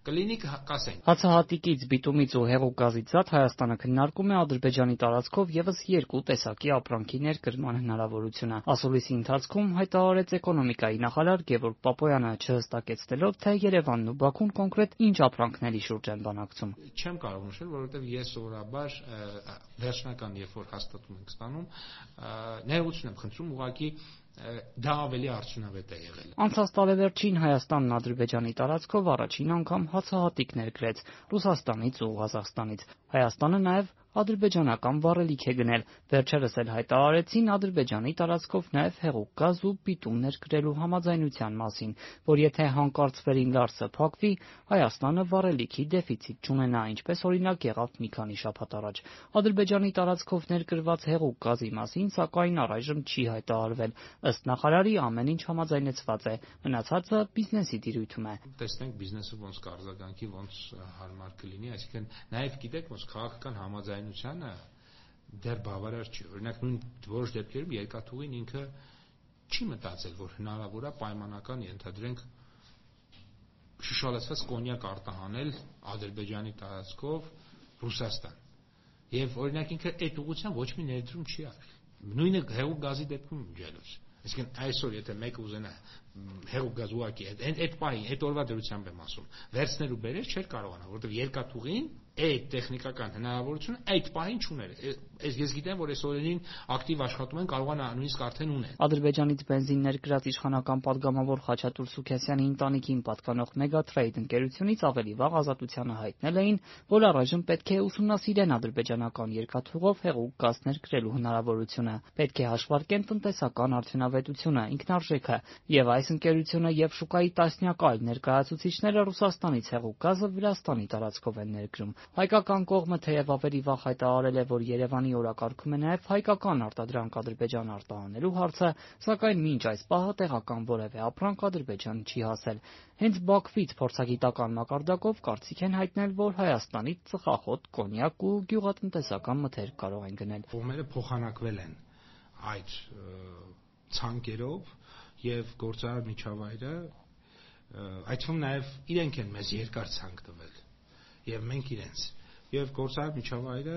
Կլինի կասենք։ Հացահատիկից, բիտումից ու հեղուկ գազից զատ Հայաստանը քննարկում է Ադրբեջանի տարածքով եւս երկու տեսակի ապրանքի ներկրման հնարավորությունը։ Ասուլիսի ընթացքում հայտարարեց էկոնոմիկայի նախարար Գևորգ Պապոյանը, չհստակեցնելով, թե Երևանն ու Բաքուն կոնկրետ ինչ ապրանքների շուրջ են բանակցում։ Չեմ կարող նշել, որովհետև ես սովորաբար վերջնական երբ որ հաստատում ենք ստանում, ներողություն եմ խնդրում, ուղղակի դա ավելի արդյունավետ է եղել։ Անցած տարեվերջին Հայաստանն Ադրբեջանի տարածքով առաջին անգամ հացահատիկ ներկրեց Ռուսաստանից ու Ղազախստանից։ Հայաստանը նաև ադրբեջանական վառելիք է գնել։ Վերջերս էլ հայտարարեցին Ադրբեջանի տարածքով նաև հեղուկ գազ ու բիտում ներկրելու համաձայնության մասին, որ եթե հանկարծվերին Լարսը փակվի, Հայաստանը վառելիքի դեֆիցիտ չունենա, ինչպես օրինակ եղավ մի քանի շաբաթ առաջ։ Ադրբեջանի տարածքով ներկրված հեղուկ գազի մասին, սակայն առայժմ չի հայտարարվել։ Ըստ նախարարի ամեն ինչ համաձայնեցված է, մնացածը բիզնեսի տիրույթում է։ Տեսնենք բիզնեսը ոնց կարձագանքի, ոնց հարմար կլինի, այսինքն նաև գիտեք, ոնց քաղաքական համաձայնությունը դեռ բավարար չի։ Օրինակ նույն որոշ դեպքերում երկաթուղին ինքը չի մտածել, որ հնարավոր է պայմանական ենթադրենք շշալացված կոնյակ արտահանել Ադրբեջանի տարածքով Ռուսաստան։ Եվ օրինակ ինքը այդ ուղղությամբ ոչ մի ներդրում չի արել։ Նույնը հեղուկ գազի դեպքում ջելուց։ Այսինքն այսօր եթե մեկը ուզենա հեղուկ գազ ուղակի այդ պահին, այդ օրվա դրությամբ եմ ասում, վերցնել ու բերել չէր կարողանա, որովհետև երկաթուղին այդ տեխնիկական հնարավորությունը այդ պահին չուներ։ Ես գիտեմ, որ այս օրերին ակտիվ աշխատում են, կարողանա նույնիսկ արդեն ունեն։ Ադրբեջանից բենզին ներկրած իշխանական падգամավոր Խաչատուր Սուքասյանի ընտանիքին պատկանող Megatrade ընկերությունից ավելի վաղ Ազատությանը հայտնել էին, որ առայժմ պետք է ուսումնասիրեն ադրբեջանական երկաթուղով հեղուկ գազ ներկրելու հնարավորությունը։ Պետք է հաշվարկեն տնտեսական արդյունավետությունը, ինքնարժեքը, եւ այս ընկերությունը եւ շուկայի տասնյակ այլ ներկայացուցիչները Ռուսաստանից հեղուկ գազը Վրաստանի տարածքով են ներկրում։ Հայկական կողմը թեև ավելի վաղ հայտարարել է, որ Երևանի օրակարգում է նաև հայկական արտադրանք Ադրբեջան արտահանելու հարցը, սակայն մինչ այս պահը տեղական որևէ ապրանք Ադրբեջան չի հասել։ Հենց Բաքվից փորձագիտական մակարդակով կարծիք են հայտնել, որ Հայաստանից ծխախոտ, կոնյակ ու գյուղատնտեսական մթերք կարող են գնել։ Կողմերը փոխանակվել են այդ ցանկերով եւ գործարար միջավայրը այդ թվում նաեւ իրենք են մեզ երկար ցանկ տվել եւ մենք իրենց եւ գործարար միջավայրը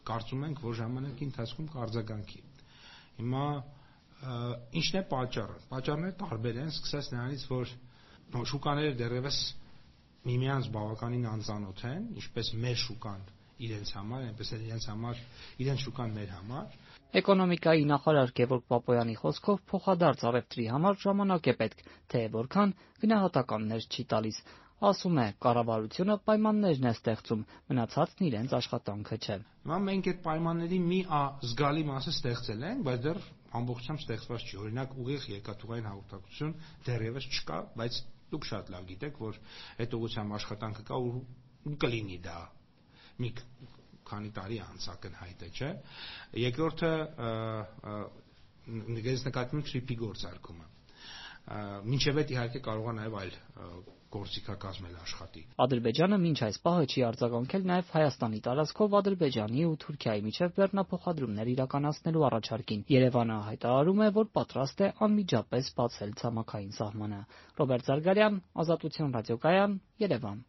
կարծում ենք, որ ժամանակի ընթացքում կարձագանքի։ Հիմա ինչն է պատճառը։ Պատճառները տարբեր են, սկսած նրանից, որ շուկաները դեռևս միմյանց բավականին անծանոթ են, ինչպես մեր շուկան իրենց համար, այնպես էլ իրենց շուկան մեր համար։ Էկոնոմիկայի նախարար Գևորգ Պապոյանի խոսքով փոխադարձ առևտրի համար ժամանակ է պետք, թե որքան գնահատականներ չի տալիս։ Ասում է, կառավարությունը պայմաններն է ստեղծում, մնացածն իրենց աշխատանքը չէ։ Հիմա մենք այդ պայմանների մի զգալի մասը ստեղծել ենք, բայց դեռ ամբողջությամբ ստեղծված չի։ Օրինակ ուղիղ երկաթուղային հաղորդակցություն դեռևս չկա, բայց դուք շատ լավ գիտեք, որ այդ ուղղությամբ աշխատանքը կա ու կլինի դա մի քանի տարի անց ակնհայտ է, չէ։ Երկրորդը նկատի ունեմ թրիփի գործարկումը։ Մինչև այդ իհարկե կարող է նաև այլ գործիքակազմել աշխատի։ Ադրբեջանը մինչ այս պահը չի արձագանքել նաև Հայաստանի տարածքով Ադրբեջանի ու Թուրքիայի միջև բեռնափոխադրումներ իրականացնելու առաջարկին։ Երևանը հայտարարում է, որ պատրաստ է անմիջապես բացել ցամաքային սահմանը։ Ռոբերտ Զարգարյան, Ազատություն ռադիոկայան, Երևան։